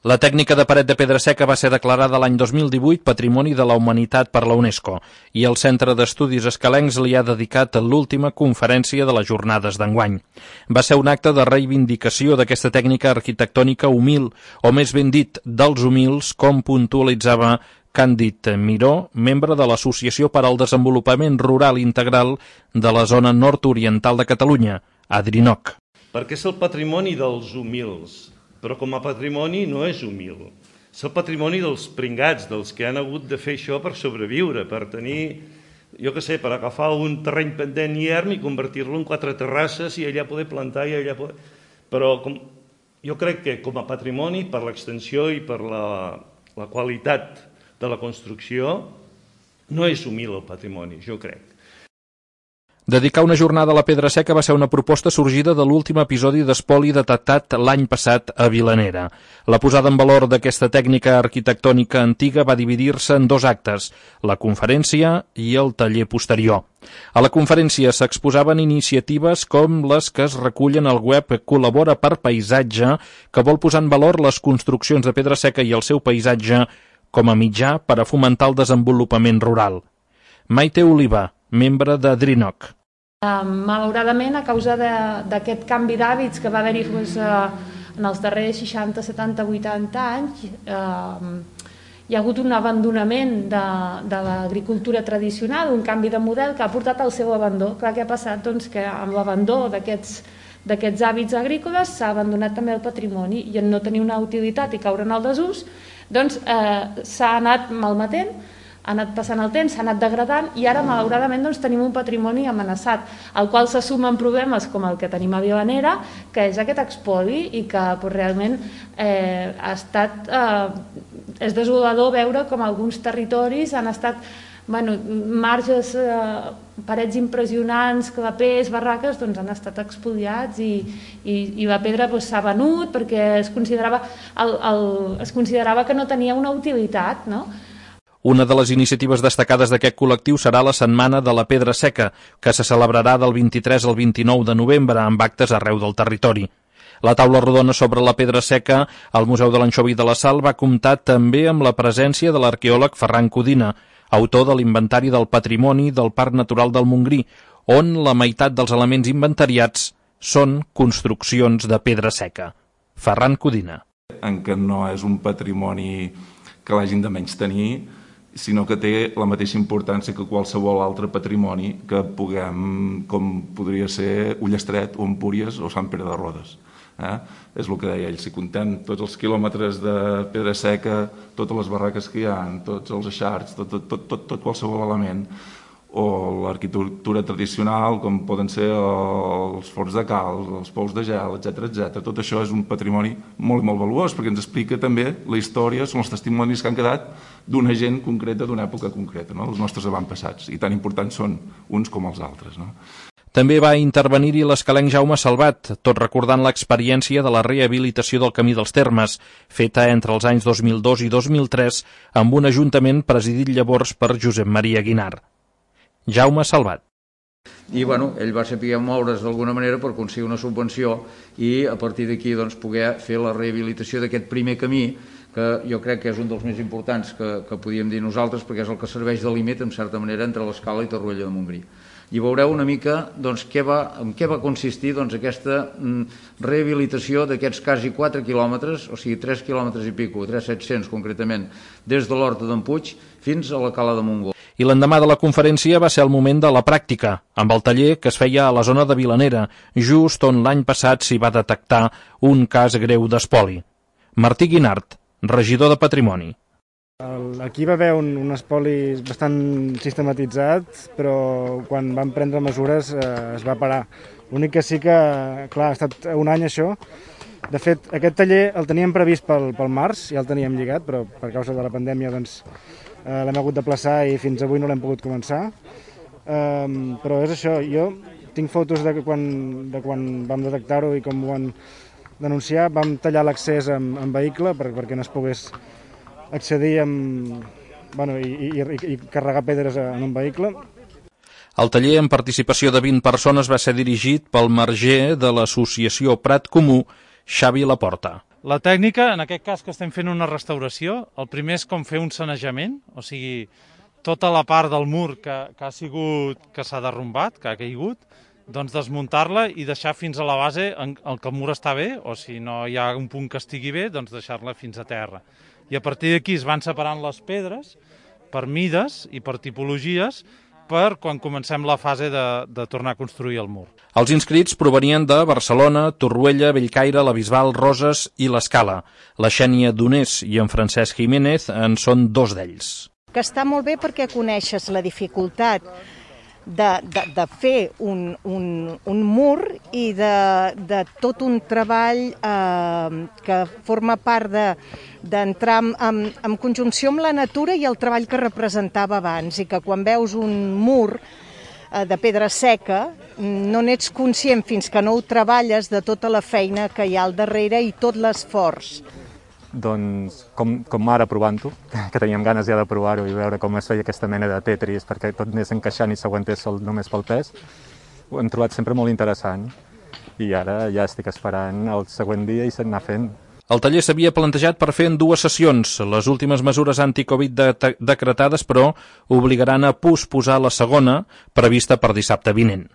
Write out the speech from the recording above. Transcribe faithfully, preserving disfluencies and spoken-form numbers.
La tècnica de paret de pedra seca va ser declarada l'any dos mil divuit Patrimoni de la Humanitat per la UNESCO i el Centre d'Estudis Escalencs li ha dedicat l'última conferència de les jornades d'enguany. Va ser un acte de reivindicació d'aquesta tècnica arquitectònica humil, o més ben dit, dels humils, com puntualitzava Càndid Miró, membre de l'Associació per al Desenvolupament Rural Integral de la zona nord-oriental de Catalunya, Adrinoc. Perquè és el patrimoni dels humils, però com a patrimoni no és humil. És el patrimoni dels pringats, dels que han hagut de fer això per sobreviure, per tenir, jo què sé, per agafar un terreny pendent i erm i convertir-lo en quatre terrasses i allà poder plantar i allà poder... Però com, jo crec que com a patrimoni, per l'extensió i per la, la qualitat de la construcció, no és humil el patrimoni, jo crec. Dedicar una jornada a la pedra seca va ser una proposta sorgida de l'últim episodi d'espoli detectat l'any passat a Vilanera. La posada en valor d'aquesta tècnica arquitectònica antiga va dividir-se en dos actes, la conferència i el taller posterior. A la conferència s'exposaven iniciatives com les que es recullen al web Col·labora per Paisatge, que vol posar en valor les construccions de pedra seca i el seu paisatge com a mitjà per a fomentar el desenvolupament rural. Maite Oliva, membre d'Adrinoc. Uh, malauradament, a causa d'aquest canvi d'hàbits que va haver-hi pues, uh, en els darrers seixanta, setanta, vuitanta anys, uh, hi ha hagut un abandonament de, de l'agricultura tradicional, un canvi de model que ha portat al seu abandó. Clar, què ha passat? Doncs que amb l'abandó d'aquests d'aquests hàbits agrícoles s'ha abandonat també el patrimoni i en no tenir una utilitat i caure en el desús, doncs eh, s'ha anat malmetent, ha anat passant el temps, s'ha anat degradant i ara malauradament doncs, tenim un patrimoni amenaçat, al qual se sumen problemes com el que tenim a Vilanera, que és aquest expoli i que pues, realment eh, ha estat, eh, és desolador veure com alguns territoris han estat bueno, marges, eh, parets impressionants, clapers, barraques, doncs han estat expoliats i, i, i la pedra s'ha doncs, venut perquè es considerava, el, el, es considerava que no tenia una utilitat, no? Una de les iniciatives destacades d'aquest col·lectiu serà la Setmana de la Pedra Seca, que se celebrarà del vint-i-tres al vint-i-nou de novembre amb actes arreu del territori. La taula rodona sobre la pedra seca al Museu de l'Anxovi de la Sal va comptar també amb la presència de l'arqueòleg Ferran Codina, autor de l'Inventari del Patrimoni del Parc Natural del Montgrí, on la meitat dels elements inventariats són construccions de pedra seca. Ferran Codina. En què no és un patrimoni que l'hagin de menys tenir, sinó que té la mateixa importància que qualsevol altre patrimoni que puguem, com podria ser Ullestret o Empúries o Sant Pere de Rodes. Eh? És el que deia ell, si contem tots els quilòmetres de pedra seca, totes les barraques que hi ha, tots els eixarts, tot, tot, tot, tot, tot qualsevol element, o l'arquitectura tradicional, com poden ser els forns de calç, els pous de gel, etcètera, etcètera. Tot això és un patrimoni molt, molt valuós, perquè ens explica també la història, són els testimonis que han quedat d'una gent concreta, d'una època concreta, no? Els nostres avantpassats, i tan importants són uns com els altres, no? També va intervenir-hi l'escalenc Jaume Salvat, tot recordant l'experiència de la rehabilitació del Camí dels Termes, feta entre els anys dos mil dos i dos mil tres amb un ajuntament presidit llavors per Josep Maria Guinart. Jaume Salvat. I bueno, ell va saber moure's d'alguna manera per aconseguir una subvenció i a partir d'aquí doncs, poder fer la rehabilitació d'aquest primer camí, que jo crec que és un dels més importants que, que podíem dir nosaltres, perquè és el que serveix de límit, en certa manera, entre l'Escala i Torroella de Montgrí. I veureu una mica doncs, què va, en què va consistir doncs, aquesta mm, rehabilitació d'aquests quasi quatre quilòmetres, o sigui, tres quilòmetres i pico, tres mil set-cents concretament, des de l'Horta d'en Puig fins a la Cala de Montgó. I l'endemà de la conferència va ser el moment de la pràctica, amb el taller que es feia a la zona de Vilanera, just on l'any passat s'hi va detectar un cas greu d'espoli. Martí Guinart, regidor de Patrimoni. Aquí va haver un, un espoli bastant sistematitzat, però quan van prendre mesures eh, es va parar. L'únic que sí que, clar, ha estat un any això. De fet, aquest taller el teníem previst pel, pel març, ja el teníem lligat, però per causa de la pandèmia doncs, eh, l'hem hagut de plaçar i fins avui no l'hem pogut començar. Eh, però és això, jo tinc fotos de quan, de quan vam detectar-ho i com ho van denunciar. Vam tallar l'accés amb, amb vehicle per, perquè no es pogués accedir amb, bueno, i, i, i carregar pedres en un vehicle. El taller, amb participació de vint persones, va ser dirigit pel marger de l'associació Prat Comú, Xavi Laporta. La tècnica, en aquest cas que estem fent una restauració, el primer és com fer un sanejament, o sigui, tota la part del mur que, que ha sigut, que s'ha derrumbat, que ha caigut, doncs desmuntar-la i deixar fins a la base en el que el mur està bé, o si no hi ha un punt que estigui bé, doncs deixar-la fins a terra. I a partir d'aquí es van separant les pedres per mides i per tipologies per quan comencem la fase de, de tornar a construir el mur. Els inscrits provenien de Barcelona, Torroella, Bellcaire, la Bisbal, Roses i l'Escala. La Xènia Donés i en Francesc Jiménez en són dos d'ells. Que està molt bé perquè coneixes la dificultat de, de, de fer un, un, un mur i de, de tot un treball eh, que forma part de d'entrar en, en, en conjunció amb la natura i el treball que representava abans, i que quan veus un mur eh, de pedra seca no n'ets conscient fins que no ho treballes de tota la feina que hi ha al darrere i tot l'esforç. Doncs com, com ara provant-ho, que teníem ganes ja de provar-ho i veure com es feia aquesta mena de Tetris perquè tot anés encaixant i s'aguantés sol només pel pes, ho hem trobat sempre molt interessant i ara ja estic esperant el següent dia i s'anar fent. El taller s'havia plantejat per fer en dues sessions. Les últimes mesures anti-Covid de decretades, però, obligaran a posposar la segona, prevista per dissabte vinent.